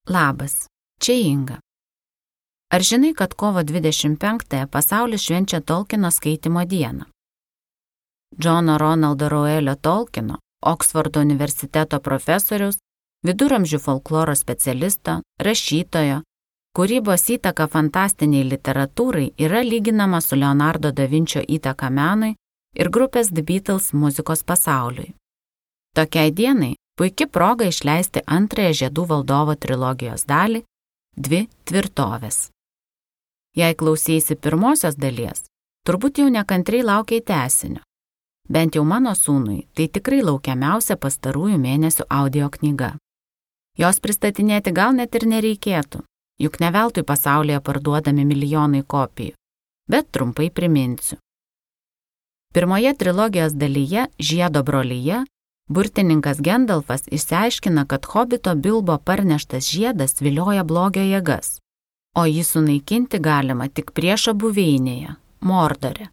Labas, čia Inga. Ar žinai, kad kovo 25-ąją pasaulis švenčia Tolkieno skaitymo dieną? Džono Ronaldo Reuelio Tolkieno, Oksfordo universiteto profesoriaus, viduramžių folkloro specialisto, rašytojo, kūrybos įtaka fantastiniai literatūrai yra lyginama su Leonardo da Vinčio įtaka menui ir grupės The Beatles muzikos pasauliui. Tokiai dienai puiki proga išleisti antrąją Žiedų valdovo trilogijos dalį – 2 tvirtovės. Jei klausysi pirmosios dalies, turbūt jau nekantriai laukiai tęsinio. Bent jau mano sūnui tai tikrai laukiamiausia pastarųjų mėnesių audio knyga. Jos pristatinėti gal net ir nereikėtų, juk ne veltui pasaulyje parduodami milijonai kopijų, bet trumpai priminsiu. Pirmoje trilogijos dalyje Žiedo brolyje burtininkas Gendalfas išsiaiškina, kad hobito Bilbo parneštas žiedas vilioja blogio jėgas, o jį sunaikinti galima tik priešo buveinėje, Mordore.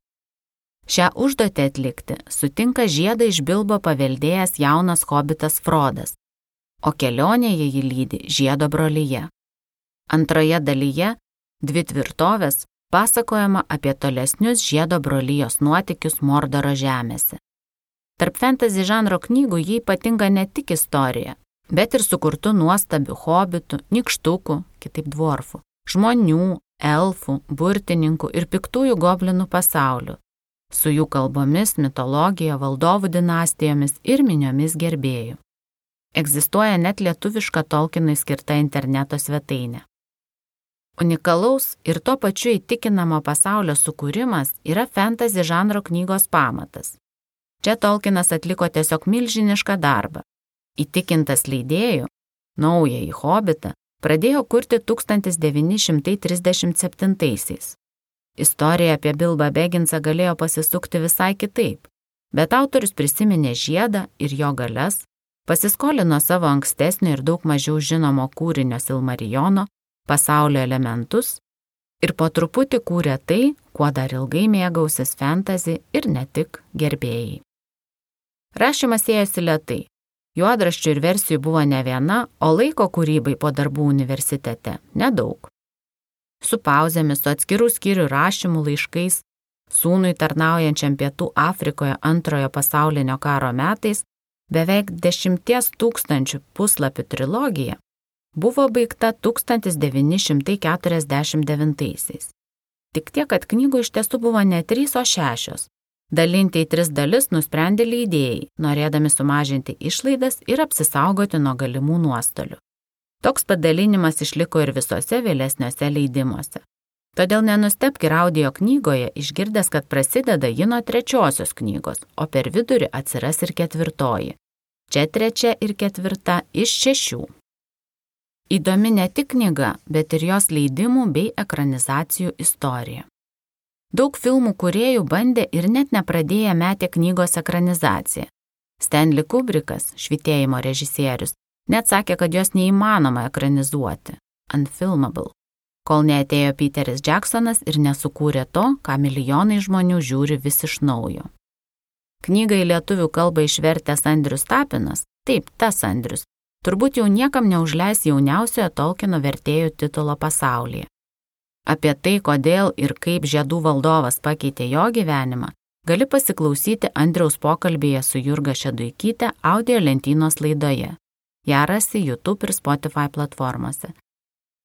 Šią užduotį atlikti sutinka žiedą iš Bilbo paveldėjęs jaunas hobitas Frodas, o kelionėje jį lydi Žiedo brolyje. Antroje dalyje 2 tvirtovės pasakojama apie tolesnius Žiedo brolyjos nuotykius Mordoro žemėse. Tarp fantasy žanro knygų jį ypatinga ne tik istorija, bet ir sukurtų nuostabių hobitų, nykštukų, kitaip dvorfų, žmonių, elfų, burtininkų ir piktųjų goblinų pasaulių, su jų kalbomis, mitologija, valdovų dinastijomis ir miniomis gerbėjų. Egzistuoja net lietuviška Tolkienui skirta interneto svetainė. Unikalaus ir tuo pačiu įtikinamo pasaulio sukūrimas yra fantasy žanro knygos pamatas. Čia Tolkienas atliko tiesiog milžinišką darbą. Įtikintas leidėjų, naująjį hobitą pradėjo kurti 1937-aisiais. Istorija apie Bilbą Begginsą galėjo pasisukti visai kitaip, bet autorius prisiminė žiedą ir jo galias, pasiskolino savo ankstesnio ir daug mažiau žinomo kūrinio Silmarijono pasaulio elementus ir po truputį kūrė tai, kuo dar ilgai mėgausis fantasy ir ne tik gerbėjai. Rašymas ėjosi lėtai. Juodraščių ir versijų buvo ne viena, o laiko kūrybai po darbų universitete nedaug. Su pauzėmis, su atskirų skyrių rašymų laiškais, sūnui tarnaujančiam Pietų Afrikoje Antrojo pasaulinio karo metais, beveik 10 000 puslapių trilogija buvo baigta 1949-aisiais. Tik tiek, kad knygų iš tiesų buvo ne 3, o 6. Dalinti į 3 dalis nusprendė leidėjai, norėdami sumažinti išlaidas ir apsisaugoti nuo galimų nuostolių. Toks padalinimas išliko ir visose vėlesniuose leidimuose. Todėl nenustebk ir audio knygoje išgirdęs, kad prasideda ji nuo 3 knygos, o per vidurį atsiras ir 4. Čia 3 ir 4 iš 6. Įdomi ne tik knyga, bet ir jos leidimų bei ekranizacijų istorija. Daug filmų kūrėjų bandė ir net nepradėję metė knygos ekranizaciją. Stanley Kubrickas, Švytėjimo režisierius, net sakė, kad jos neįmanoma ekranizuoti, unfilmable, kol neatėjo Peteris Jacksonas ir nesukūrė to, ką milijonai žmonių žiūri vis iš naujo. Knygą į lietuvių kalbą išvertęs Andrius Tapinas, taip, tas Andrius, turbūt jau niekam neužleis jauniausiojo Tolkieno vertėjų titulo pasaulyje. Apie tai, kodėl ir kaip Žiedų valdovas pakeitė jo gyvenimą, gali pasiklausyti Andriaus pokalbėje su Jurga Šeduikyte audio lentynos laidoje. Ją rasi YouTube ir Spotify platformose.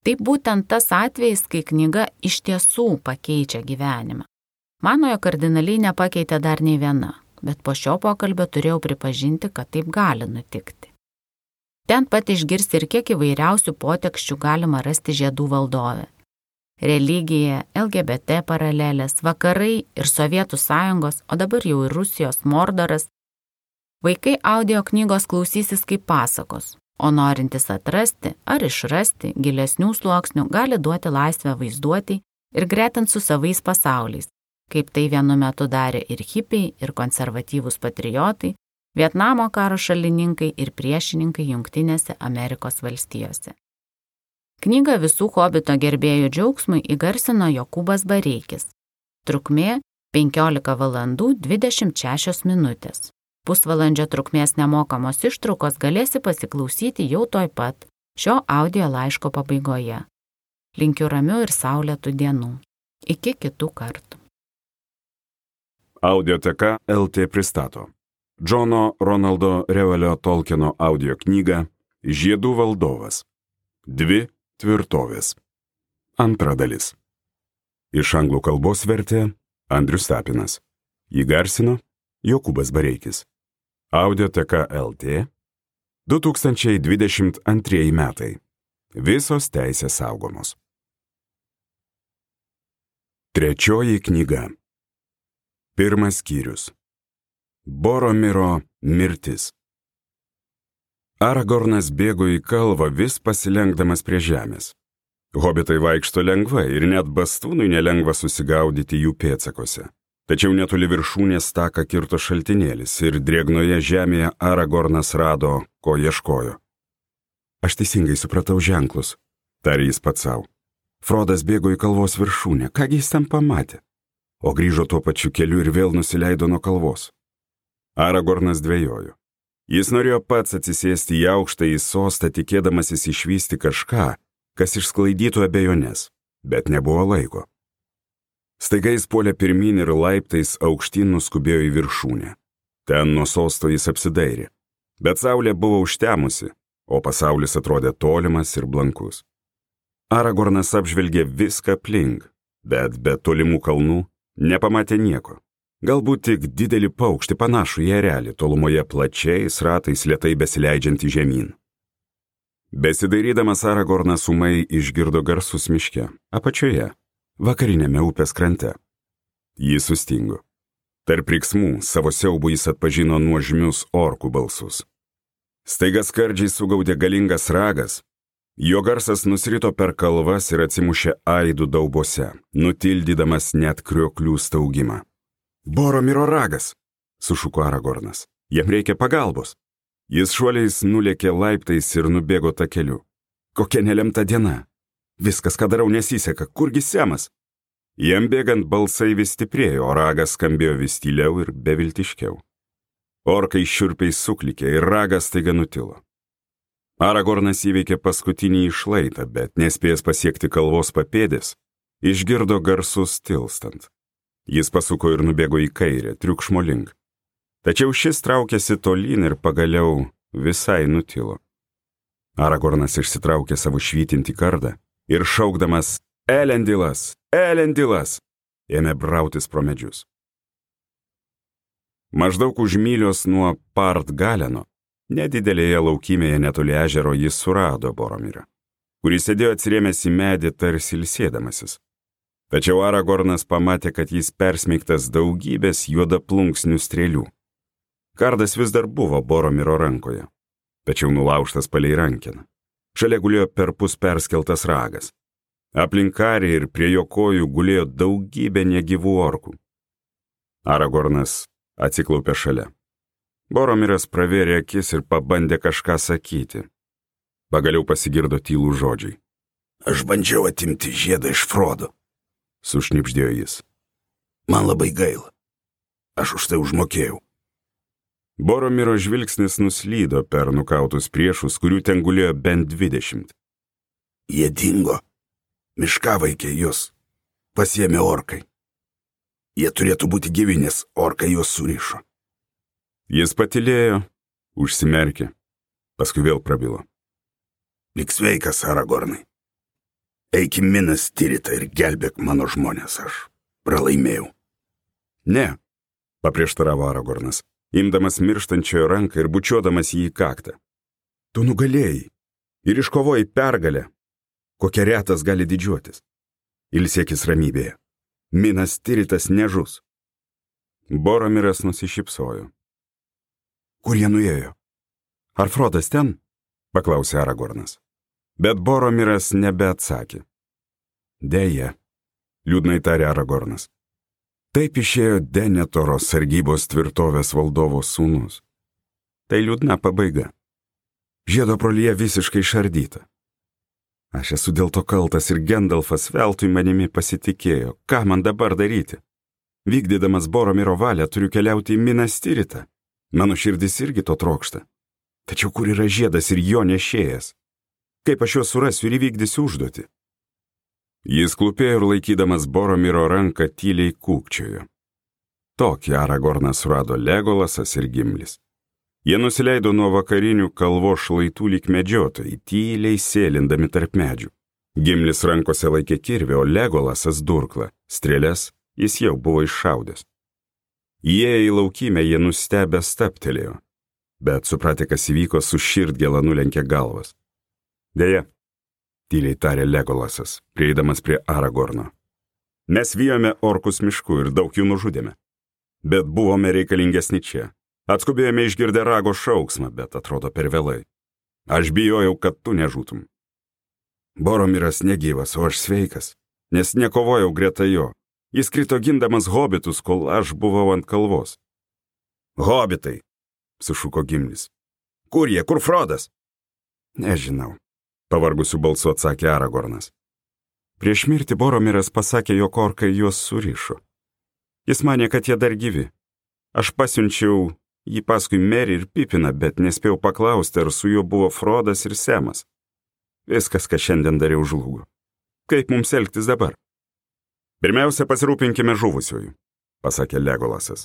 Tai būtent tas atvejis, kai knyga iš tiesų pakeičia gyvenimą. Manojo kardinaliai nepakeitė dar nei viena, bet po šio pokalbio turėjau pripažinti, kad taip gali nutikti. Ten pat išgirsti ir kiek įvairiausių poteksčių galima rasti Žiedų valdove. Religija, LGBT paralelės, vakarai ir Sovietų sąjungos, o dabar jau ir Rusijos Mordoras. Vaikai audio knygos klausysis kaip pasakos, o norintis atrasti ar išrasti gilesnių sluoksnių gali duoti laisvę vaizduoti ir gretinti su savais pasauliais, kaip tai vienu metu darė ir hipiai, ir konservatyvūs patriotai, Vietnamo karo šalininkai ir priešininkai Jungtinėse Amerikos valstijose. Knygą visų hobito gerbėjų džiaugsmui įgarsino Jokūbas Bareikis. Trukmė 15 valandų 26 minutės. Pusvalandžio trukmės nemokamos ištraukos galėsi pasiklausyti jau toj pat šio audio laiško pabaigoje. Linkiu ramių ir saulėtų dienų. Iki kitų kartų. Audioteka LT pristato Džono Ronaldo Reuelio Tolkieno audio knygą Žiedų valdovas. 2 tvirtovės. Antra dalis. Iš anglų kalbos vertė Andrius Tapinas. Įgarsino Jokūbas Bareikis. Audioteka LT 2022 metai. Visos teisės saugomos. Trečioji knyga. Pirmas skyrius. Boromiro mirtis. Aragornas bėgo į kalvą vis pasilenkdamas prie žemės. Hobitai vaikšto lengvai ir net bastūnui nelengva susigaudyti jų pėdsakose. Tačiau netoli viršūnės taką kirto šaltinėlis ir drėgnoje žemėje Aragornas rado, ko ieškojo. Aš teisingai supratau ženklus, tarė jis pats savo. Frodas bėgo į kalvos viršūnę, kągi jis ten pamatė? O grįžo tuo pačiu keliu ir vėl nusileido nuo kalvos. Aragornas dvejojo. Jis norėjo pats atsisėsti į aukštąjį sostą, tikėdamasis išvysti kažką, kas išsklaidytų abejonės, bet nebuvo laiko. Staiga jis puolė pirmyn ir laiptais aukštyn nuskubėjo į viršūnę. Ten nuo sosto jis apsidairė, bet saulė buvo užtemusi, o pasaulis atrodė tolimas ir blankus. Aragornas apžvelgė viską aplink, bet be tolimų kalnų nepamatė nieko. Galbūt tik didelį paukštį panašų į erelį, tolumoje plačiais ratais lėtai besileidžiantį žemyn. Besidairydamas Aragornas ūmai išgirdo garsus miške, apačioje, vakarinėme upės krante. Jis sustingo. Tarp riksmų savo siaubų jis atpažino nuožmius orkų balsus. Staiga skardžiai sugaudė galingas ragas. Jo garsas nusrito per kalvas ir atsimušė aidų daubose, nutildydamas net krioklių staugimą. Boromiro ragas, sušuko Aragornas. Jam reikia pagalbos. Jis šuoliais nulėkė laiptais ir nubėgo takeliu. Kokia nelemta diena. Viskas, ką darau, nesiseka. Kurgi Semas? Jam bėgant balsai vis stiprėjo, o ragas skambėjo vis tyliau ir beviltiškiau. Orkai šiurpiai suklikė ir ragas staiga nutilo. Aragornas įveikė paskutinį šlaitą, bet nespėjęs pasiekti kalvos papėdės, išgirdo garsus tilstant. Jis pasuko ir nubėgo į kairę, triukšmo link. Tačiau šis traukėsi tolyn ir pagaliau visai nutilo. Aragornas išsitraukė savo švytintį kardą ir šaukdamas Elendilas, Elendilas, ėmė brautis pro medžius. Maždaug už mylios nuo Part Galeno, nedidelėje laukymėje netoli ežero, jis surado Boromirą, kuris sėdėjo atsirėmęs į medį tarsi ilsėdamasis. Tačiau Aragornas pamatė, kad jis persmeigtas daugybės juodaplunksnių strėlių. Kardas vis dar buvo Boromiro rankoje, tačiau nulaužtas palei rankeną. Šalia gulėjo perpus perskeltas ragas. Aplink karį ir prie jo kojų gulėjo daugybė negyvų orkų. Aragornas atsiklaupė šalia. Boromiras pravėrė akis ir pabandė kažką sakyti. Pagaliau pasigirdo tylų žodžiai. Aš bandžiau atimti žiedą iš Frodo, sušnibždėjo jis. Man labai gaila. Aš už tai užmokėjau. Boromiro žvilgsnis nuslydo per nukautus priešus, kurių ten gulėjo bent 20. Jie dingo. Miškavaikė juos pasiėmė orkai. Jie turėtų būti gyvi, nes orkai juos surišo. Jis patylėjo, užsimerkė, paskui vėl prabilo. Lik sveikas, Aragornai. Eik į Minas Tiritą ir gelbėk mano žmonės, aš pralaimėjau. Ne, paprieštaravo Aragornas, imdamas mirštančiojo ranką ir bučiuodamas jį į kaktą. Tu nugalėjai ir iškovojai pergalę, kokia retas gali didžiuotis. Ilsėkis ramybėje. Minas Tiritas nežus. Boromiras nusišypsojo. Kur jie nuėjo? Ar Frodas ten? Paklausė Aragornas. Bet Boromiras nebeatsakė. Deja, liūdnai tarė Aragornas. Taip išėjo Denetoro sargybos tvirtovės valdovo sūnus. Tai liūdna pabaiga. Žiedo brolyje visiškai išardyta. Aš esu dėl to kaltas ir Gendalfas veltui manimi pasitikėjo. Ką man dabar daryti? Vykdydamas Boromiro valią turiu keliauti į Minas Tiritą. Mano širdis irgi to trokšta. Tačiau kur yra žiedas ir jo nešėjas? Kaip aš juos surasiu ir įvykdysiu užduotį? Jis klūpėjo ir laikydamas Boromiro ranką tyliai kūkčiojo. Tokį Aragornas surado Legolasas ir Gimlis. Jie nusileido nuo vakarinių kalvos šlaitų lyg medžiotojai, tyliai sėlindami tarp medžių. Gimlis rankose laikė kirvį, o Legolasas durklą. Strėles jis jau buvo iššaudęs. Įėję į laukymę, jie nustebę stabtelėjo, bet supratę, kas įvyko, su širdgėla nulenkė galvas. Deja, tyliai tarė Legolasas, prieidamas prie Aragorno. Mes vijome orkus mišku ir daug jų nužudėme. Bet buvome reikalingesni čia. Atskubėjome išgirdę rago šauksmą, bet atrodo per vėlai. Aš bijojau, kad tu nežūtum. Boromiras negyvas, o aš sveikas, nes nekovojau greta jo. Jis krito gindamas hobitus, kol aš buvau ant kalvos. Hobitai, sušuko Gimlis. Kur jie, kur Frodas? Nežinau, pavargusiu balsu atsakė Aragornas. Prieš mirtį Boromiras pasakė, jog orkai juos surišo. Jis manė, kad jie dar gyvi. Aš pasiunčiau jį paskui Merį ir Pipiną, bet nespėjau paklausti, ar su juo buvo Frodas ir Semas. Viskas, ką šiandien dariau, žlugo. Kaip mums elgtis dabar? Pirmiausia, pasirūpinkime žuvusiųjų, pasakė Legolasas.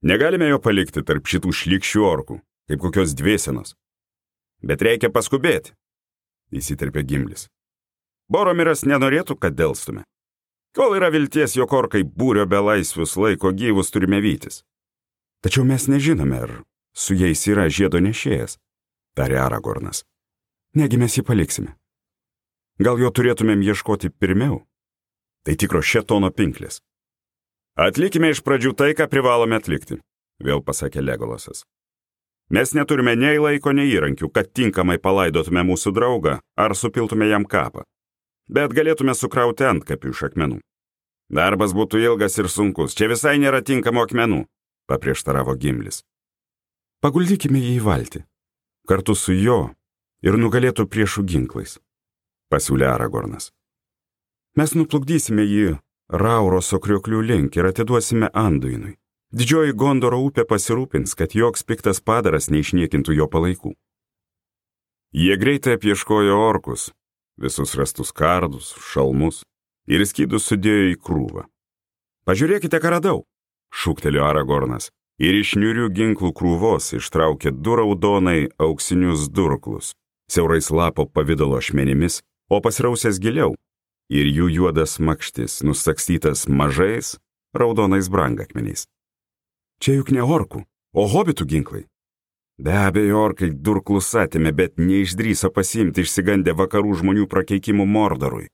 Negalime jo palikti tarp šitų šlykščių orkų, kaip kokios dvėsenos. Bet reikia paskubėti, įsiterpė Gimlis. Boromiras nenorėtų, kad delstume. Kol yra vilties, jog orkai būrio belaisvius laiko gyvus, turime vytis. Tačiau mes nežinome, ar su jais yra žiedo nešėjas, tarė Aragornas. Negi mes jį paliksime. Gal jo turėtumėm ieškoti pirmiau? Tai tikro šėtono pinklės. Atlikime iš pradžių tai, ką privalome atlikti, vėl pasakė Legolasas. Mes neturime nei laiko, nei įrankių, kad tinkamai palaidotume mūsų draugą ar supiltume jam kapą. Bet galėtume sukrauti antkapių iš akmenų. Darbas būtų ilgas ir sunkus, čia visai nėra tinkamų akmenų, paprieštaravo Gimlis. Paguldykime jį į valtį, kartu su jo ir nugalėtų priešų ginklais, pasiūlė Aragornas. Mes nuplukdysime jį Rauroso krioklių link ir atiduosime Anduinui. Didžioji Gondoro upė pasirūpins, kad joks piktas padaras neišniekintų jo palaikų. Jie greitai apieškojo orkus, visus rastus kardus, šalmus ir skydus sudėjo į krūvą. Pažiūrėkite, ką radau, šūktelėjo Aragornas ir iš niūrių ginklų krūvos ištraukė 2 raudonai auksinius durklus, siaurais lapo pavidalo ašmenimis, o pasirausęs giliau, ir jų juodas makštis nusakstytas mažais raudonais brangakmeniais. Čia juk ne orkų, o hobitų ginklai. Be abejo, orkai durklus atėmė, bet neišdrįso pasiimti išsigandę vakarų žmonių prakeikimų Mordorui.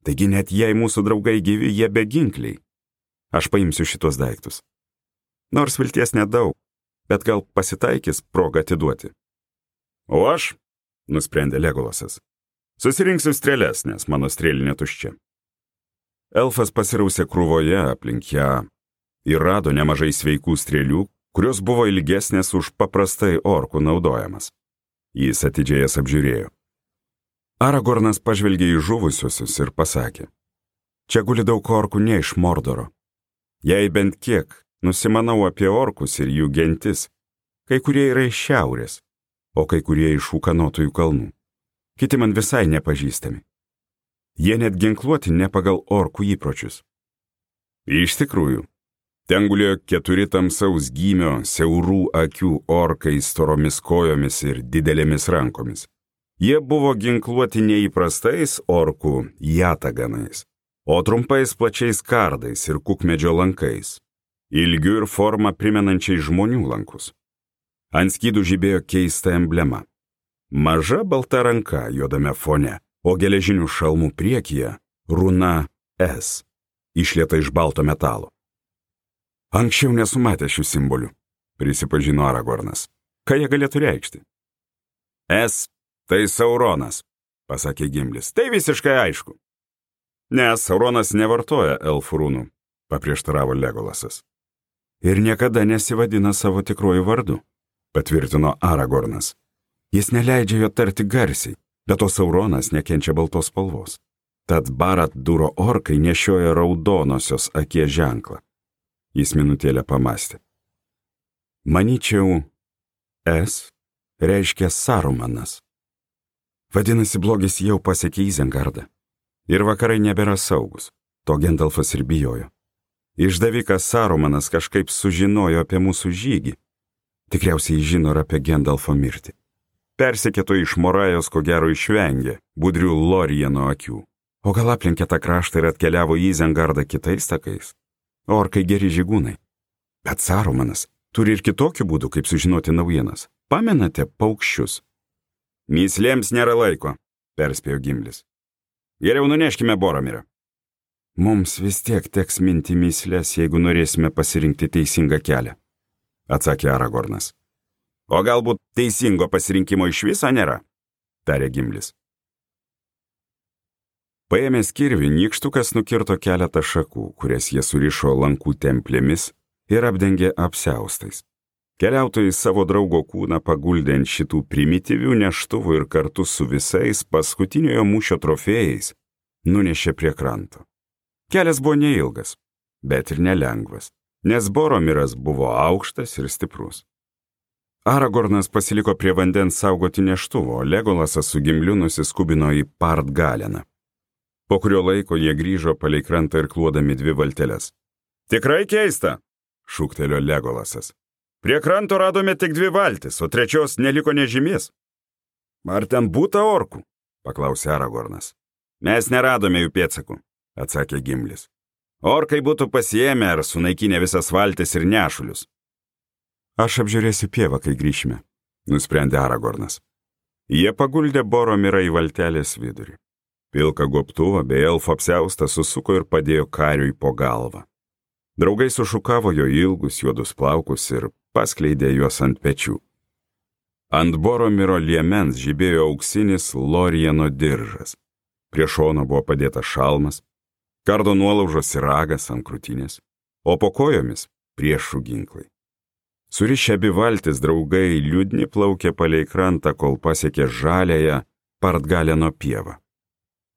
Taigi net jei mūsų draugai gyvi, jie beginkliai. Aš paimsiu šitos daiktus. Nors vilties nedaug, bet gal pasitaikys proga atiduoti. O aš, nusprendė Legolasas, susirinksiu strėles, nes mano strėlinė tuščia. Elfas pasirausė krūvoje aplink ją ir rado nemažai sveikų strėlių, kurios buvo ilgesnės už paprastai orkų naudojamas. Jis atidžiai jas apžiūrėjo. Aragornas pažvelgė į žuvusiuosius ir pasakė, čia guli daug orkų ne iš Mordoro. Jei bent kiek nusimanau apie orkus ir jų gentis, kai kurie yra iš šiaurės, o kai kurie iš ūkanotųjų kalnų. Kiti man visai nepažįstami. Jie net ginkluoti ne pagal orkų įpročius. Iš tikrųjų, ten gulėjo 4 tamsaus gymio, siaurų akių orkai storomis kojomis ir didelėmis rankomis. Jie buvo ginkluoti neįprastais orkų jataganais, o trumpais plačiais kardais ir kukmedžio lankais, ilgių ir formą primenančiai žmonių lankus. Ant skydų žibėjo keista emblema. Maža balta ranka juodame fone, o geležinių šalmų priekyje runa S, išlieta iš balto metalo. Anksčiau nesu matęs šių simbolių, prisipažino Aragornas. Ką jie galėtų reikšti? S, tai Sauronas, pasakė Gimlis. Tai visiškai aišku. Nes Sauronas nevartoja elfų runų, paprieštaravo Legolasas. Ir niekada nesivadina savo tikruoju vardu, patvirtino Aragornas. Jis neleidžia jo tarti garsiai, bet to Sauronas nekenčia baltos spalvos. Tad Barad-dūro orkai nešioja raudonosios akies ženklą. Jis minutėlę pamastė. Manyčiau, S reiškia Sarumanas. Vadinasi, blogis jau pasiekė Izengardą. Ir vakarai nebėra saugus. To Gendalfas ir bijojo. Išdavikas Sarumanas kažkaip sužinojo apie mūsų žygį. Tikriausiai žino ir apie Gendalfo mirtį. Persekėto iš Morajos ko gero išvengė budrių Lorieno akių. O gal aplenkė tą kraštą ir atkeliavo į Izengardą kitais takais? Orkai geri žygūnai. Bet Sarumanas turi ir kitokių būdų, kaip sužinoti naujienas. Pamenate paukščius? Myslėms nėra laiko, perspėjo Gimlis. Geriau nuneškime Boromirą. Mums vis tiek teks minti myslės, jeigu norėsime pasirinkti teisingą kelią, atsakė Aragornas. O galbūt teisingo pasirinkimo iš viso nėra, tarė Gimlis. Paėmęs kirvį, nykštukas nukirto keletą šakų, kurias jie surišo lankų templėmis ir apdengė apsiaustais. Keliautojai savo draugo kūną paguldė ant šitų primityvių neštuvų ir kartu su visais paskutiniojo mūšio trofėjais nunešė prie kranto. Kelias buvo neilgas, bet ir nelengvas, nes Boromiras buvo aukštas ir stiprus. Aragornas pasiliko prie vandens saugoti neštuvo, o Legolasas su Gimliu nusiskubino į Partgaleną. Po kurio laiko jie grįžo palei krantą ir kluodami 2 valteles. Tikrai keista, šūktelio Legolasas. Prie kranto radome tik 2 valtis, o 3 neliko nežymės. Ar ten būta orkų? Paklausė Aragornas. Mes neradome jų pėdsakų, atsakė Gimlis. Orkai būtų pasiėmę ar sunaikinę visas valtis ir nešulius. Aš apžiūrėsiu pievą, kai grįšime, nusprendė Aragornas. Jie paguldė Boromirą į valtelės vidurį. Pilką gobtuvą bei elfo apsiaustą susuko ir padėjo kariui po galvą. Draugai sušukavo jo ilgus juodus plaukus ir paskleidė juos ant pečių. Ant Boromiro liemens žibėjo auksinis Lorieno diržas. Prie šono buvo padėtas šalmas, kardo nuolaužos ir ragas ant krūtinės, o po kojomis priešų ginklai. Surišę abi valtis draugai liūdni plaukė palei krantą, kol pasiekė žaliąją Partgaleno pievą.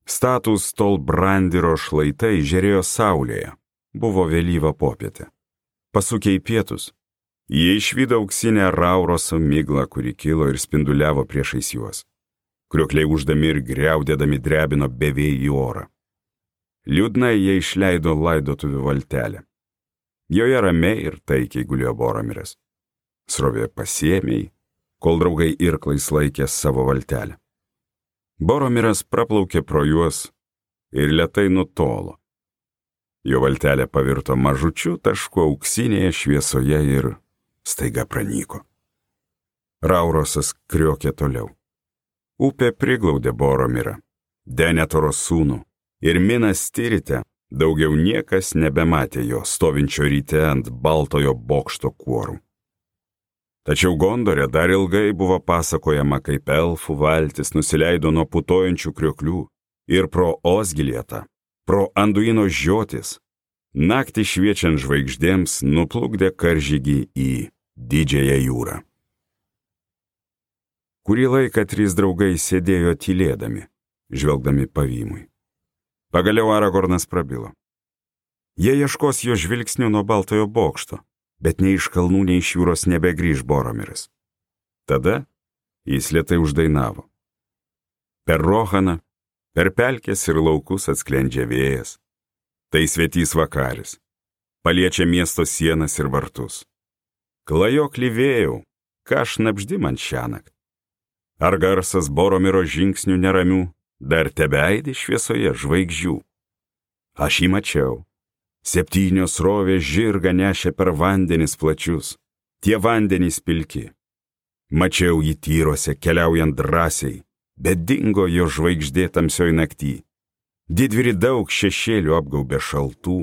Statūs Tolbrandiro šlaitai žėrėjo saulėje. Buvo vėlyva popietė. Pasukę į pietus, jie išvydo auksinę Rauroso miglą, kuri kilo ir spinduliavo priešais juos. Kriokliai uždami ir griaudėdami drebino bevėjį orą. Liūdnai jie išleido laidotuvių valtelę. Joje ramiai ir taikiai gulėjo Boromiras. Srovė pasiėmė, kol draugai irklais laikė savo valtelę. Boromiras praplaukė pro juos ir lėtai nutolo. Jo valtelė pavirto mažučiu tašku auksinėje šviesoje ir staiga pranyko. Raurosas kriokė toliau. Upė priglaudė Boromirą, Denetoro sūnų, ir Minas Tirite daugiau niekas nebematė jo stovinčio ryte ant baltojo bokšto kuorų. Tačiau Gondore dar ilgai buvo pasakojama, kaip elfų valtis nusileido nuo putojančių krioklių ir pro Osgilietą, pro Anduino žiotis, naktį šviečiant žvaigždėms nuplukdė karžygį į Didžiąją jūrą. Kurį laiką 3 draugai sėdėjo tylėdami, žvelgdami pavymui. Pagaliau Aragornas prabilo. Jie ieškos jo žvilgsnių nuo baltojo bokšto, bet nei iš kalnų, nei iš jūros nebegrįž Boromiras. Tada jis lėtai uždainavo. Per Rohaną, per pelkės ir laukus atsklendžia vėjas. Tai svetys vakaris, paliečia miesto sienas ir vartus. Klajoklį vėjau, ką šnabždi man šiąnakt? Ar garsas Boromiro žingsnių neramių dar tebeaidi šviesoje žvaigždžių? Aš jį mačiau. 7 srovės žirgą nešė per vandenis plačius, tie vandenys pilki. Mačiau jį tyruose keliaujant drąsiai, bet dingo jo žvaigždė tamsioj naktį. Didvyri daug šešėlių apgaubė šaltų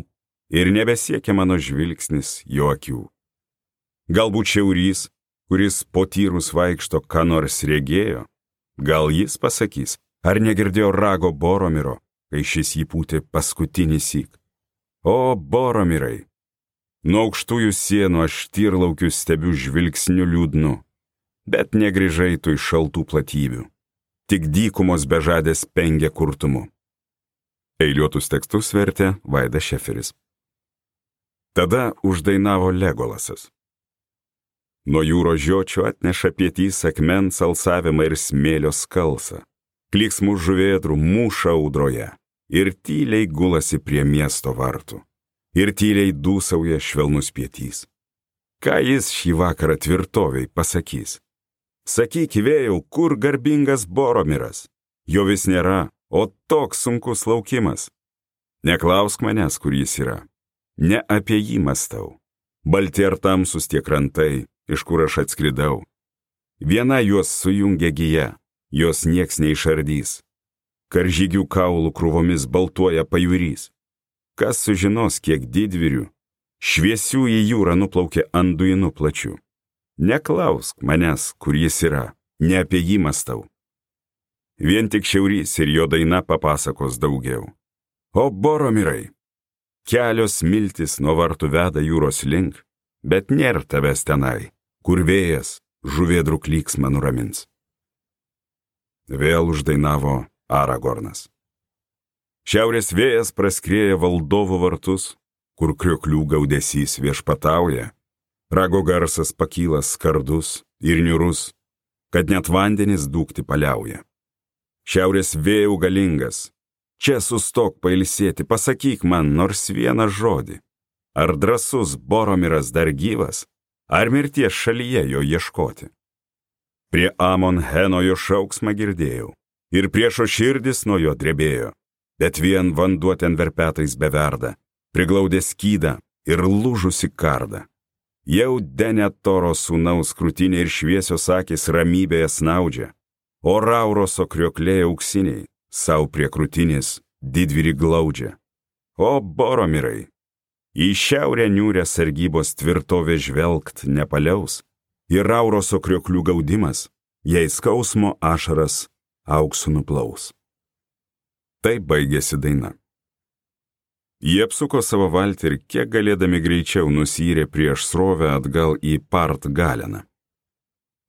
ir nebesiekia mano žvilgsnis jo akių. Galbūt šiaurys, kuris po tyrus vaikšto, ką nors regėjo, gal jis pasakys, ar negirdėjo rago Boromiro, kai šis jį pūtė paskutinį syk. O, Boromirai, nuo aukštųjų sienų aš tyrlaukių stebiu žvilgsniu liūdnu, bet negrįžai tu iš šaltų platybių, tik dykumos bežadės pengia kurtumu. Eiliuotus tekstus vertė Vaidas Šeferis. Tada uždainavo Legolasas. Nuo jūros žiočių atneša pietys akmens alsavimą ir smėlio skalsą. Klyksmų žuvėdrų mūša audroje ir tyliai gulasi prie miesto vartų. Ir tyliai dūsauja švelnus pietys. Ką jis šį vakarą tvirtoviai pasakys? Sakyk, vėjau, kur garbingas Boromiras? Jo vis nėra, o toks sunkus laukimas. Neklausk manęs, kur jis yra. Ne apie jį mąstau. Balti ar tamsus tie krantai, iš kur aš atskridau. Viena juos sujungia gija, jos nieks neišardys. Karžygių kaulų krūvomis baltuoja pajūrys. Kas sužinos, kiek didvyrių, šviesių į jūrą nuplaukė anduinų plačių. Neklausk manęs, kur jis yra, ne apie jį mąstau. Vien tik šiaurys ir jo daina papasakos daugiau. O Boromirai, kelios miltis nuo vartų veda jūros link, bet nėra tavęs tenai, kur vėjas žuvėdrų klyksmą nuramins. Vėl uždainavo Aragornas. Šiaurės vėjas praskrieja valdovų vartus, kur krioklių gaudesys viešpatauja, rago garsas pakyla skardus ir niūrus, kad net vandenys dūkti paliauja. Šiaurės vėjų galingas, čia sustok pailsėti, pasakyk man nors vieną žodį. Ar drąsus Boromiras dar gyvas, ar mirties šalyje jo ieškoti? Prie Amon Heno jo šauksmą girdėjau, ir priešo širdis nuo jo drebėjo, bet vien vanduo ten verpetais beverda, priglaudė skydą ir lūžusi kardą. Jau Denetoro sūnaus krūtinė ir šviesios akys ramybėje snaudžia, o Rauroso kriokliai auksiniai sau prie krūtinės didvyrį glaudžia. O Boromirai, į šiaurę niūrę sargybos tvirtovę žvelgt nepaliaus, ir Rauroso krioklių gaudimas, jei skausmo ašaras auksu nuplaus. Taip baigėsi daina. Jie apsuko savo valtį ir kiek galėdami greičiau nusyrė prieš srovę atgal į Part Galeną.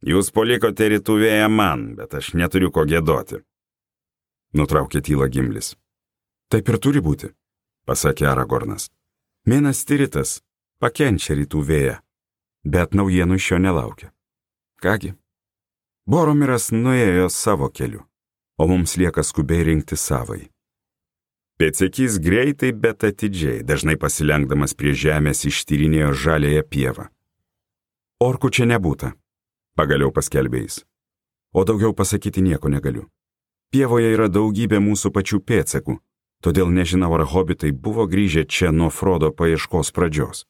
Jūs palikote rytų vėją man, bet aš neturiu ko gėdoti. Nutraukė tylą Gimlis. Taip ir turi būti, pasakė Aragornas. Minas Tiritas pakenčia rytų vėją, bet naujienų iš jo nelaukia. Kągi, Boromiras nuėjo savo keliu, o mums lieka skubiai rinkti savai. Pėdsekys greitai, bet atidžiai, dažnai pasilenkdamas prie žemės ištyrinėjo žaliąją pievą. Orkų čia nebūta, pagaliau paskelbė jis. O daugiau pasakyti nieko negaliu. Pievoje yra daugybė mūsų pačių pėdsakų, todėl nežinau, ar hobitai buvo grįžę čia nuo Frodo paieškos pradžios.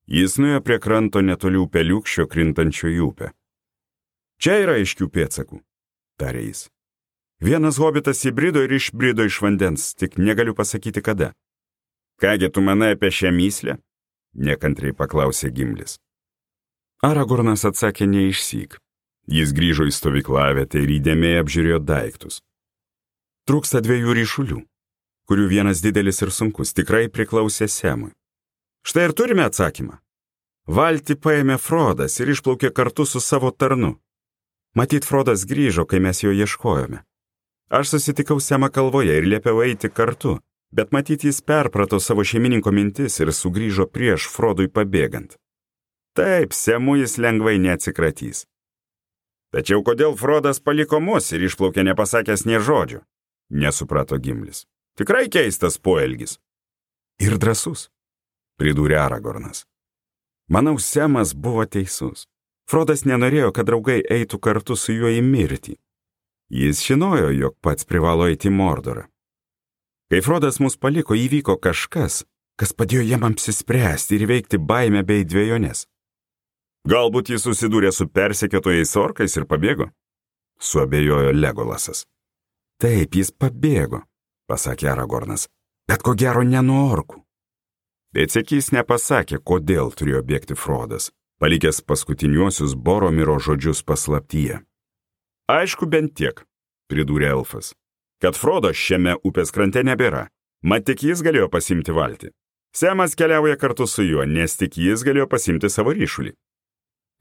Jis nuėjo prie kranto netoli upeliukščio krintančio į upę. Čia yra aiškių pėdsakų, tarė jis. Vienas hobitas įbrido ir išbrido iš vandens, tik negaliu pasakyti kada. Kągi tu manai apie šią mįslę? Nekantriai paklausė Gimlis. Aragornas atsakė neišsyk. Jis grįžo į stovyklavietę ir įdėmiai apžiūrėjo daiktus. Trūksta 2 ryšulių, kurių vienas didelis ir sunkus, tikrai priklausė Semui. Štai ir turime atsakymą. Valtį paėmė Frodas ir išplaukė kartu su savo tarnu. Matyt, Frodas grįžo, kai mes jo ieškojome. Aš susitikau Semą kalvoje ir liepiau eiti kartu, bet matyt jis perprato savo šeimininko mintis ir sugrįžo prieš Frodui pabėgant. Taip, Semu jis lengvai neatsikratys. Tačiau kodėl Frodas paliko mus ir išplaukė nepasakęs nė žodžio? Nesuprato Gimlis. Tikrai keistas poelgis. Ir drąsus, pridūrė Aragornas. Manau, Semas buvo teisus. Frodas nenorėjo, kad draugai eitų kartu su juo į mirtį. Jis žinojo, jog pats privalo eiti į Mordorą. Kai Frodas mus paliko, įvyko kažkas, kas padėjo jam apsispręsti ir veikti baimę bei dvejonės. Galbūt jis susidūrė su persekiotojais orkais ir pabėgo? Suabejojo Legolasas. Taip, jis pabėgo, pasakė Aragornas, bet ko gero ne nuo orkų. Pėdsekys nepasakė, kodėl turėjo bėgti Frodas, palikęs paskutiniuosius Boromiro žodžius paslaptyje. Aišku, bent tiek, pridūrė elfas, kad Frodo šiame upės krante nebėra, mat tik jis galėjo pasimti valtį. Semas keliauja kartu su juo, nes tik jis galėjo pasimti savo ryšulį.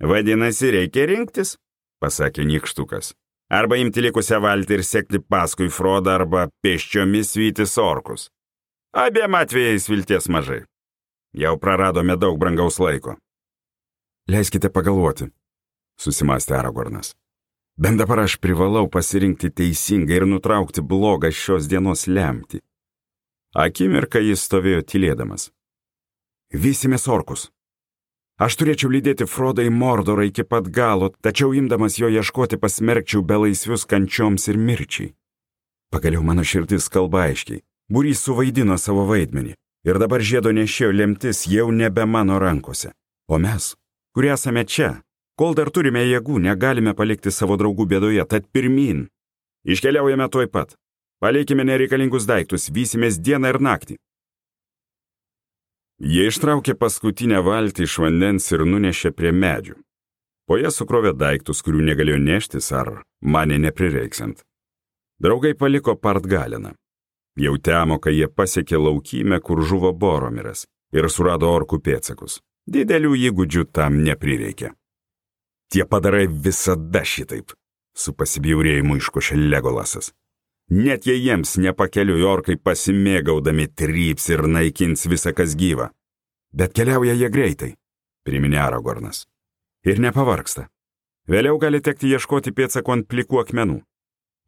Vadinasi, reikia rinktis, pasakė Nykštukas. Arba imti likusią valtį ir sekti paskui Frodą, arba pėsčiomis vytis orkus. Abiem atvejais vilties mažai. Jau praradome daug brangaus laiko. Leiskite pagalvoti, susimastė Aragornas. Bent dabar aš privalau pasirinkti teisingą ir nutraukti blogą šios dienos lemtį. Akimirką jis stovėjo tylėdamas. Vysimės orkus. Aš turėčiau lydėti Frodą į Mordorą iki pat galo, tačiau imdamas jo ieškoti pasmerkčiau belaisvius kančioms ir mirčiai. Pagaliau mano širdis kalba aiškiai. Būrys suvaidino savo vaidmenį ir dabar žiedo nešėjo lemtis jau nebe mano rankose. O mes, kurie esame čia, kol dar turime jėgų, negalime palikti savo draugų bėdoje, tad pirmyn. Iškeliaujame tuoj pat. Palikime nereikalingus daiktus, vysimės dieną ir naktį. Jie ištraukė paskutinę valtį iš vandens ir nunešė prie medžių. Po ją sukrovė daiktus, kurių negalėjo neštis ar manė neprireiksant. Draugai paliko Partgaleną. Jau temo, kai jie pasiekė laukymę, kur žuvo Boromiras ir surado orkų pėdsakus. Didelių įgūdžių tam neprireikė. Tie padarai visada šitaip, su pasibjaurėjimu iškošė Legolasas. Net jei jiems nepakeliui orkai pasimėgaudami tryps ir naikins visą kas gyva. Bet keliauja jie greitai, priminė Aragornas. Ir nepavargsta. Vėliau gali tekti ieškoti pėdsakų ant plikų akmenų.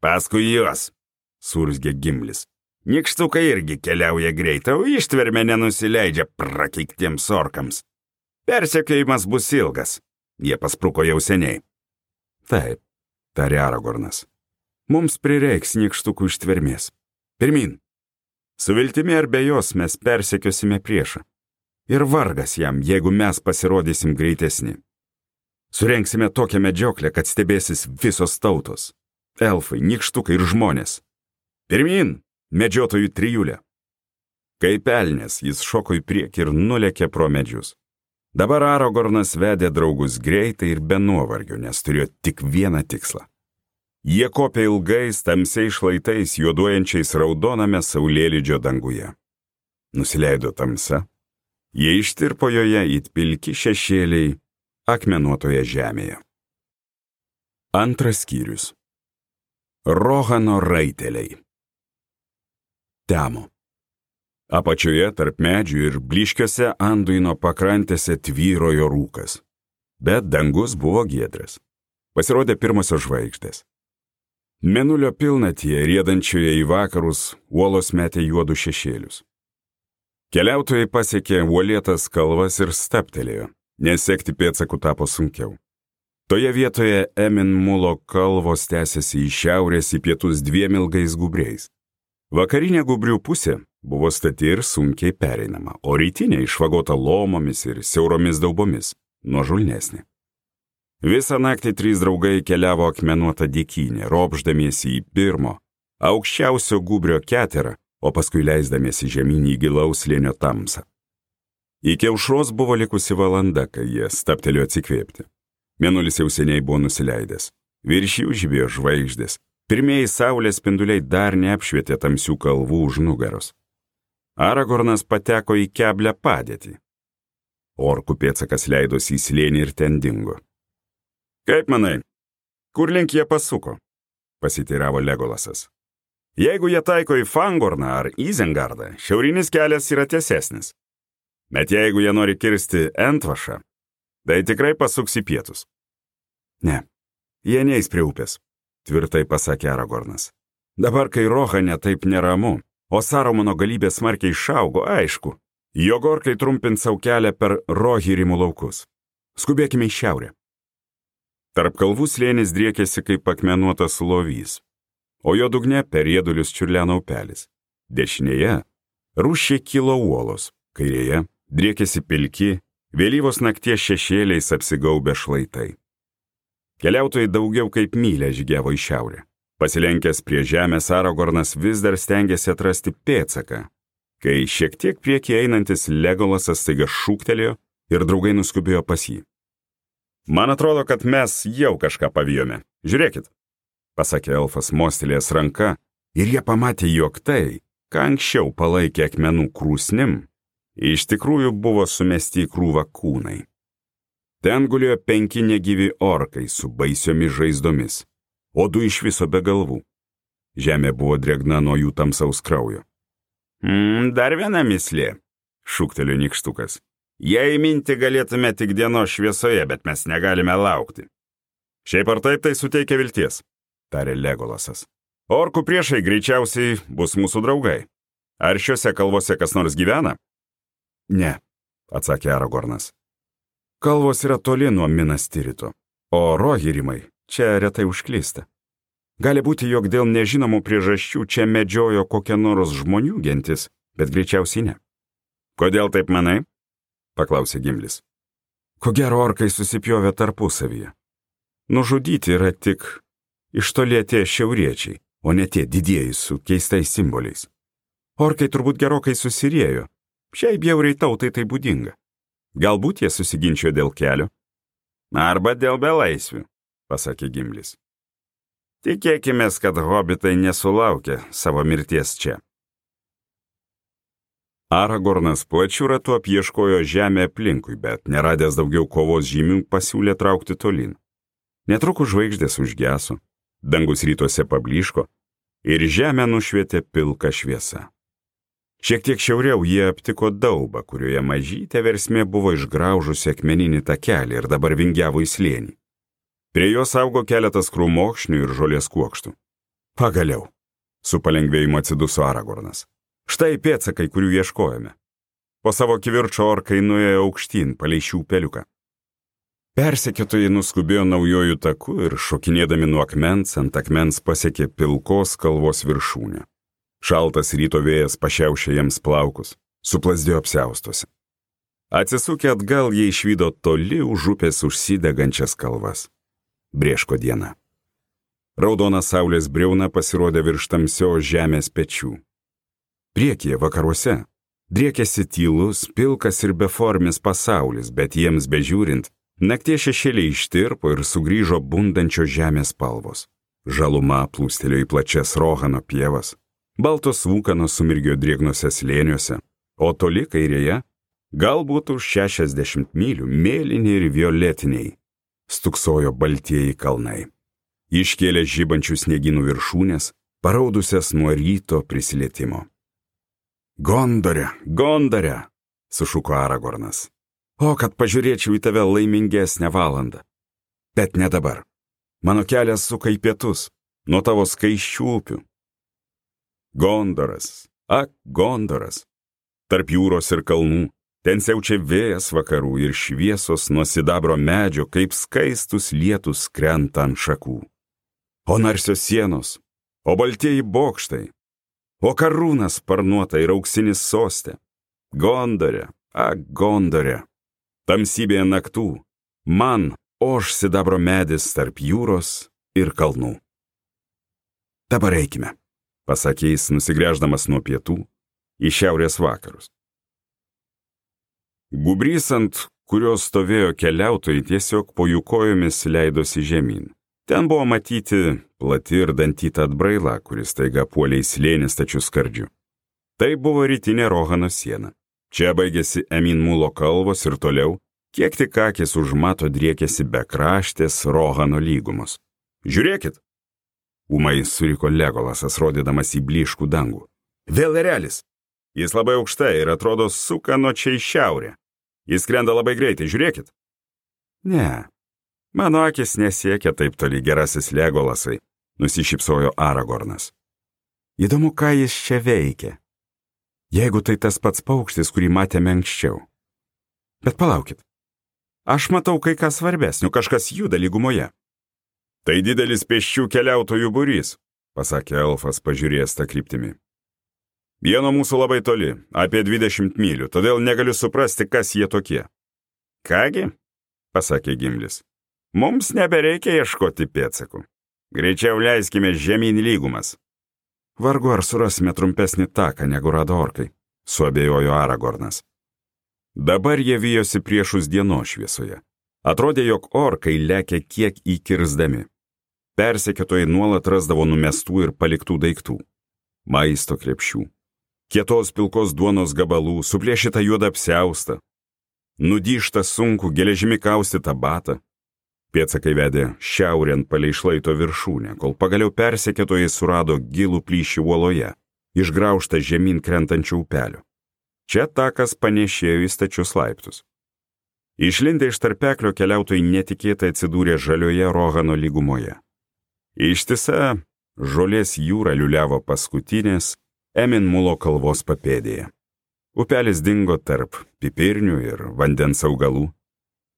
Paskui juos, surzgė Gimlis. Nykštukai irgi keliauja greitai, o ištvermė nenusileidžia prakeiktiems orkams. Persekiojimas bus ilgas. Jie paspruko jau seniai. Taip, tarė Aragornas. Mums prireiks nykštukų ištvermės. Pirmin. Su viltimi ar be jos mes persekiosime priešą. Ir vargas jam, jeigu mes pasirodysim greitesni. Surenksime tokią medžioklę, kad stebėsis visos tautos. Elfai, nykštukai ir žmonės. Pirmin, medžiotojų trijulė. Kaip elnias, jis šoko į priekį ir nulėkė pro medžius. Dabar Aragornas vedė draugus greitai ir be nuovargio, nes turėjo tik vieną tikslą. Jie kopė ilgais, tamsiais šlaitais, juoduojančiais raudoname saulėlydžio danguje. Nusileido tamsa, jie ištirpo joje it pilki šešėliai akmenuotoje žemėje. Antras skyrius. Rohano raiteliai. Temo. Apačioje tarp medžių ir blyškiuose Anduino pakrantėse tvyrojo rūkas. Bet dangus buvo giedras. Pasirodė pirmosios žvaigždės. Mėnulio pilnatyje, riedančioje į vakarus, uolos metė juodų šešėlius. Keliautojai pasiekė uolėtas kalvas ir staptelėjo, nes sekti pėdsakų tapo sunkiau. Toje vietoje Emin Mulo kalvos tęsėsi į šiaurės į pietus dviem ilgais gubriais. Vakarinė gubrių pusė buvo stati ir sunkiai pereinama, o rytinė išvagota lomomis ir siauromis daubomis, nuožulnesnė. Visą naktį trys draugai keliavo akmenuotą dykynę, ropšdamiesi į pirmo, aukščiausio gubrio keterą, o paskui leisdamiesi žemyn į gilaus slėnio tamsą. Iki aušros buvo likusi valanda, kai jie stabtelėjo atsikvėpti. Mėnulis jau seniai buvo nusileidęs, virš jų žibėjo žvaigždės. Pirmieji saulės spinduliai dar neapšvietė tamsių kalvų už nugaros. Aragornas pateko į keblią padėtį. Orkų pėdsakas leidosi į slėnį ir ten dingo. Kaip manai, kur link jie pasuko? Pasiteiravo Legolasas. Jeigu jie taiko į Fangorną ar Izengardą, šiaurinis kelias yra tiesesnis. Bet jeigu jie nori kirsti Entvašą, tai tikrai pasuks į pietus. Ne, jie neis prie upės, tvirtai pasakė Aragornas. Dabar, kai Rohane taip neramu, o Sarumono galybė smarkiai išaugo, aišku, jog orkai trumpins savo kelią per Rohirrimų laukus. Skubėkime į šiaurę. Tarp kalvų slėnis driekėsi kaip akmenuotas lovys, o jo dugne per riedulius čiurleno upelis. Dešinėje rūščiai kilo uolos, kairėje driekėsi pilki, vėlyvos nakties šešėliais apsigaubę šlaitai. Keliautojai daugiau kaip mylę žygiavo į šiaurę. Pasilenkęs prie žemės, Aragornas vis dar stengėsi atrasti pėdsaką, kai šiek tiek priekį einantis Legolasas staiga šūktelėjo ir draugai nuskubėjo pas jį. Man atrodo, kad mes jau kažką pavijome. Žiūrėkit, pasakė elfas mostelėjęs ranka, ir jie pamatė, jog tai, ką anksčiau palaikė akmenų krūsnim, iš tikrųjų buvo sumesti į krūvą kūnai. Ten gulėjo 5 negyvi orkai su baisiomis žaizdomis, o 2 iš viso be galvų. Žemė buvo drėgna nuo jų tamsaus kraujo. Dar viena mislė, šūktelėjo nykštukas. Jei minti galėtume tik dienos šviesoje, bet mes negalime laukti. Šiaip ar taip tai suteikia vilties, tarė Legolasas. Orkų priešai greičiausiai bus mūsų draugai. Ar šiuose kalvose kas nors gyvena? Ne, atsakė Aragornas. Kalvos yra toli nuo Minas Tirito, o Rohirrimai čia retai užklysta. Gali būti, jog dėl nežinomų priežasčių čia medžiojo kokia nors žmonių gentis, bet greičiausiai ne. Kodėl taip manai? Paklausė Gimlis. Ko gero orkai susipjovė tarpusavyje. Nužudyti yra tik iš toli atėję šiauriečiai, o ne tie didieji su keistais simboliais. Orkai turbūt gerokai susiriejo. Šiai bjauriai tautai tai būdinga. Galbūt jie susiginčio dėl kelio. Arba dėl belaisvių, pasakė Gimlis. Tikėkimės, kad hobitai nesulaukė savo mirties čia. Aragornas plačiu ratu apieškojo žemę aplinkui, bet neradęs daugiau kovos žymių pasiūlė traukti tolyn. Netrukus žvaigždės užgeso, dangus rytuose pablyško ir žemę nušvietė pilka šviesa. Šiek tiek šiauriau jie aptiko daubą, kurioje mažytė versmė buvo išgraužusi akmeninį takelį ir dabar vingiavo į slėnį. Prie jos augo keletas krūmokšnių ir žolės kuokštų. Pagaliau, su palengvėjimu atsiduso Aragornas. Štai pėdsakai, kurių ieškojome. Po savo kivirčio orkai nuėjo aukštyn palei šių upeliuką. Persekiotojai nuskubėjo naujojų taku ir šokinėdami nuo akmens ant akmens pasiekė pilkos kalvos viršūnę. Šaltas ryto vėjas pašiaušė jiems plaukus, suplasdėjo apsiaustuose. Atsisukę atgal jie išvydo toli už upės užsidegančias kalvas. Brėško diena. Raudona saulės briauna pasirodė virš tamsios žemės pečių. Priekyje vakaruose driekėsi tylus, pilkas ir beformis pasaulis, bet jiems bežiūrint, nakties šešėliai ištirpo ir sugrįžo bundančios žemės spalvos. Žaluma plūstelėjo į plačias Rohano pievas, baltos vūkanos sumirgėjo drėgnose slėniuose, o toli kairėje, galbūt už 60 mylių, mėlyni ir violetiniai, stuksojo baltieji kalnai. Iškėlė žibančių sniegynų viršūnės, paraudusias nuo ryto prisilietimo. Gondore, Gondore, sušuko Aragornas. O, kad pažiūrėčiau į tave laimingesnę valandą. Bet ne dabar. Mano kelias suka į pietus, nuo tavo skaisčių upių. Gondoras, ak, Gondoras. Tarp jūros ir kalnų, ten siaučia vėjas vakarų ir šviesos nuo sidabro medžio, kaip skaistus lietus krenta ant šakų. O narsios sienos, o baltieji bokštai, o karūnas sparnuota ir auksinis soste. Gondore, ak, Gondore. Tamsybėje naktų, man oš sidabro medis tarp jūros ir kalnų. Dabar eikime, pasakė jis, nusigręždamas nuo pietų į šiaurės vakarus. Gubrys, ant kurios stovėjo keliautojai, tiesiog po jų kojomis leidosi žemyn. Ten buvo matyti plati ir dantyta atbraila, kuris taiga puolė į slėnį stačiu skardžiu. Tai buvo rytinė Rohano siena. Čia baigėsi Eminmulo kalvos ir toliau, kiek tik akis užmato, driekėsi bekraštės Rohano lygumos. Žiūrėkit! Ūmai suriko Legolasas, rodydamas į blyškų dangų. Vėl erelis! Jis labai aukštai ir atrodo suka nuo čia į šiaurę. Jis skrenda labai greitai, žiūrėkit! Ne, mano akis nesiekia taip toli, gerasis Legolasai, nusišypsojo Aragornas. Įdomu, ką jis čia veikia. Jeigu tai tas pats paukštis, kurį matėme anksčiau. Bet palaukit. Aš matau kai ką svarbesnio, kažkas juda lygumoje. Tai didelis pėsčių keliautojų būrys, pasakė elfas, pažiūrėjęs tą kryptimį. Jie nuo mūsų labai toli, apie 20 mylių, todėl negaliu suprasti, kas jie tokie. Kągi, pasakė Gimlis, mums nebereikia ieškoti pėdsakų. Greičiau leiskime žemyn lygumas. Vargu ar surasime trumpesnį taką, negu rado orkai, suabejojo Aragornas. Dabar jie vijosi priešus dienos šviesoje. Atrodė, jog orkai lekia kiek įkirsdami. Persekiotojai nuolat rasdavo numestų ir paliktų daiktų. Maisto krepšių, kietos pilkos duonos gabalų, suplėšytą juodą apsiaustą, nudyštą sunkų geležimi kaustytą batą. Pėdsakai vedė šiaurėn palei šlaito viršūnę, kol pagaliau persekiotojai surado gilų plyšį uoloje, išgraužtą žemyn krentančių upelių. Čia takas panėšėjo į stačius laiptus. Išlindę iš tarpeklio keliautojai netikėtai atsidūrė žalioje Rohano lygumoje. Ištisa žolės jūra liuliavo paskutinės Emin Mulo kalvos papėdėje. Upelis dingo tarp pipirnių ir vandens augalų.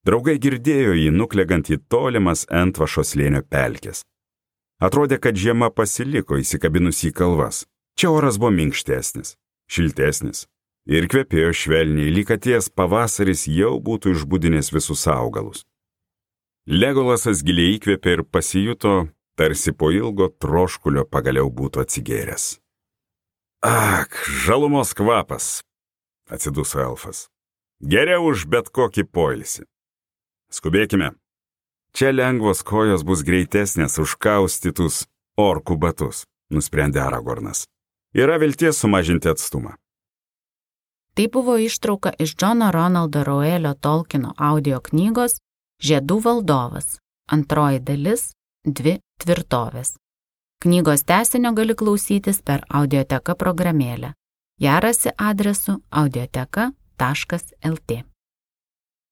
Draugai girdėjo jį nuklegant į tolimas Entvašo slėnio pelkes. Atrodė, kad žiema pasiliko įsikabinus į kalvas. Čia oras buvo minkštesnis, šiltesnis ir kvepėjo švelniai, lyg atėjęs pavasaris jau būtų išbudinęs visus augalus. Legolasas giliai įkvėpė ir pasijuto, tarsi po ilgo troškulio pagaliau būtų atsigėręs. Ak, žalumos kvapas, atsiduso elfas. Geriau už bet kokį poilsį. Skubėkime. Čia lengvos kojos bus greitesnės už kaustytus orkų batus, nusprendė Aragornas. Yra vilties sumažinti atstumą. Tai buvo ištrauka iš Džono Ronaldo Reuelio Tolkieno audio knygos Žiedų valdovas, antroji dalis, 2 tvirtovės. Knygos tęsinio gali klausytis per Audioteka programėlę. Ją rasi adresu audioteka.lt.